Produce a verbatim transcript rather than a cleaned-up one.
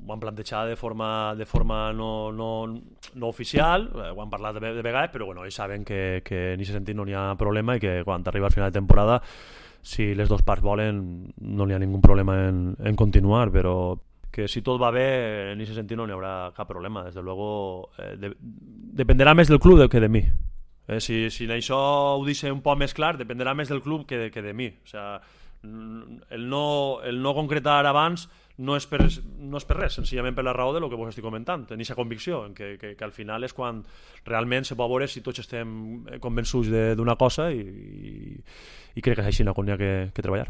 ho han plantejat de forma, de forma no, no, no oficial, eh, ho han parlat de, de vegades, però bueno, ells saben que, que en aquest sentit no n'hi ha problema i que quan arriba al final de temporada, si les dues parts volen, no n'hi ha ningú problema en, en continuar, però que si tot va bé, en aquest sentit no n'hi haurà cap problema. Desde luego, eh, de, dependerà més del club que de mi. Eh, si, si això ho deixa un poc més clar, dependrà més del club que de, que de mi. O sea, el no, el no concretar abans no és, per, no és per res, senzillament per la raó de lo que vos estic comentant, tenir aquesta convicció que, que, que al final és quan realment se pot veure si tots estem convençuts d'una cosa i, i, i crec que és així on hi ha que, que treballar.